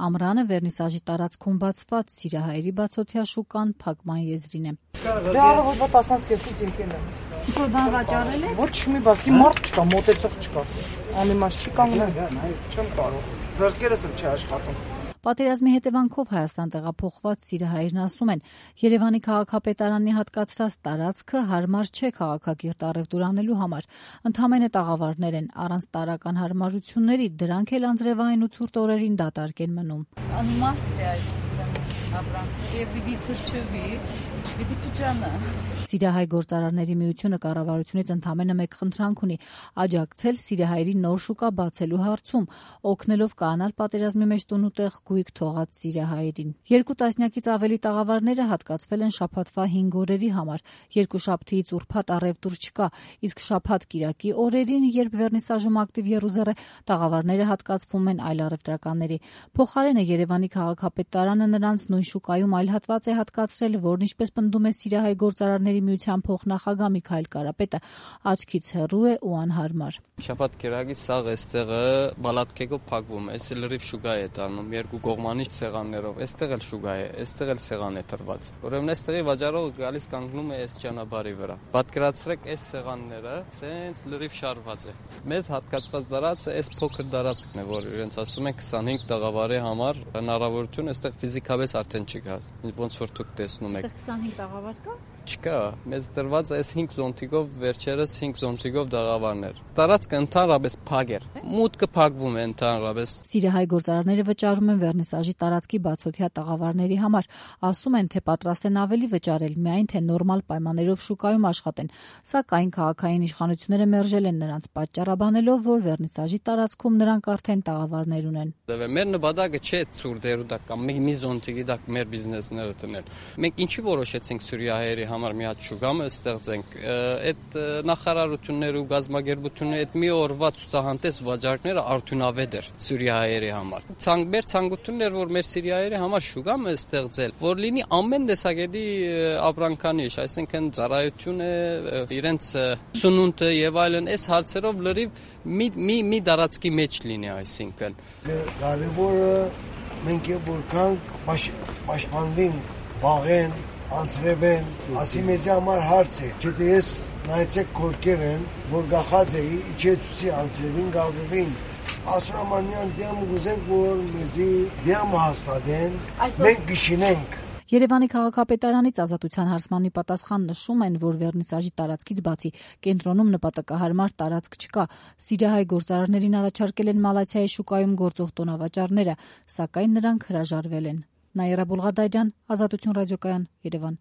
ամռանը վերնիսաժի տարածքում բացված Սիրիահայերի բացօթյա շուկան փակման եզրին է։ Դե առավոտվա 10-ից եկել եմ։ Ինչ-որ բան վաճառել եք։ Ոչ մի բան, մարդ չկա, մոտեցող չկա։ Անիմաստ չի կանգնել, չեմ կարող։ Ձեռքերս եմ չի աշխատում։ Պատերազմի հետևանքով Հայաստան տեղափոխված սիրիահայերն ասում են, Երևանի քաղաքապետարանի հատկացրած տարածքը հարմար չէ քաղաքակիրթ առևտուր անելու համար։ Ընդամենը տաղավարներ են, առանց տարրական հարմարությունների, դրանք էլ անձրևային ու ցուրտ օրերին դատարկ են մնում։ Անիմաստ է այսինքն ապրանքը, եւ պիտի թրջվի, պիտի փճանա։ Սիրիահայ գործարարների միությունը կառավարությունից ընդամենը մեկ խնդրանք ունի՝ աջակցել սիրիահայերի նոր շուկա բացելու հարցում, օգնելով կանալ պատերազմի մեջ տունուտեղ գույք թողած սիրիահայերին։ 2 տասնյակից ավելի տաղավարները հատկացվել են շաբաթվա 5 օրերի համար։ Երկուշաբթիից ուրբաթ առևտուր չկա, իսկ շաբաթ-կիրակի օրերին, երբ վերնիսաժում ակտիվ եռուզեռ է, տաղավարները հատկացվում են այլ առևտրականների։ Փոխարենը Երևանի քաղաքապետարանը նրանց նույն շուկայում այլ հատված է հատկացրել, որն ինչպես պնդում է Սիրիահայ գործարարների միության փոխնախագահ Միքայել Կարապետը, աչքից հեռու է ու անհարմար։ Շաբաթ-կիրակի սաղ էստեղը բալատկեգով փակվում է, էսի լրիվ շուկա է դառնում, երկու կողմանի սեղաններով, էստեղ էլ շուկա է, էստեղ էլ սեղան է տրված։ Ուրեմն էստեղի վաճառողը գալիս կանգնում է այս ճանապարհի վրա։ Պատկերացրեք այս սեղանները, սենց լրիվ շարված է։ Մեզ հատկացված դարածը այս փոքր դարածքն է, որ իրենց ասում են 25 տաղավարի համար հնարավորություն էստեղ ֆիզիկապես արդեն չկա, ոնց որ դուք տեսնում եք։ 25 տաղավար կա։ Չկա, մեզ տրված այս 5 զոնտիկով վերջերս 5 զոնտիկով դաղավարներ։ Տարածքը ընդհանրապես փակ էր։ Մուտքը փակվում է ընդհանրապես։ Սիրիահայ գործարարները վճարում են վերնիսաժի տարածքի բացօթյա տաղավարների համար, ասում են, թե պատրաստ են ավելի վճարել, միայն թե նորմալ պայմաններով շուկայում աշխատեն, սակայն քաղաքային իշխանությունները մերժել են նրանց, պատճառաբանելով, որ վերնիսաժի տարածքում նրանք արդեն տաղավարներ ունեն։ Մեր նպատակը չէ ցուրտերու դա կամ մի զոնտիկի դա մեր բիզնեսները տնել։ Մենք ինչի որոշեցինք Սիրիահայերի համար մի հատ շուկամը ստեղծենք, այդ նախարարությունները ու գազագերբությունները այդ մի օրվա ցուցահանդես վաճառքները արդյունավետ էր Սիրիահայերի համար։ Մեր ցանկությունն էր, որ մեր Սիրիահայերի համար շուկամը ստեղծել, որ լինի ամեն տեսակետի ապրանքանիշ, այսինքն ծառայությունը, իրենց սնունդը եւ այլն, այս հարցերով լրիվ մի դարածքի մեջ լինի, այսինքն։ Կարևորը մենք որքան պաշտպանվենք, վաղեն անցրևեն, ասի մեզի համար հարց է, չէ թե ես նայեցեք կորկեր են, որ գախած էի, իչեցուցի անցրևին, գավվին, ասուրամանյան դիամ ուզենք, որ մեզի դիամ հաստատեն, մենք գիշինենք։ Երևանի քաղաքապետարանից ազատության հարցմանի պատասխան նշում են, որ վերնիսաժի տարածքից բացի կենտրոնում նպատակահարմար տարածք չկա։ Սիրիահայ գործարարներին առաջարկել են Մալաթիայի շուկայում գործող տոնավաճառները, սակայն նրանք հրաժարվել են։ Նաիրա Բուլղադարյան, Ազատություն ռադիոկայան, Երևան։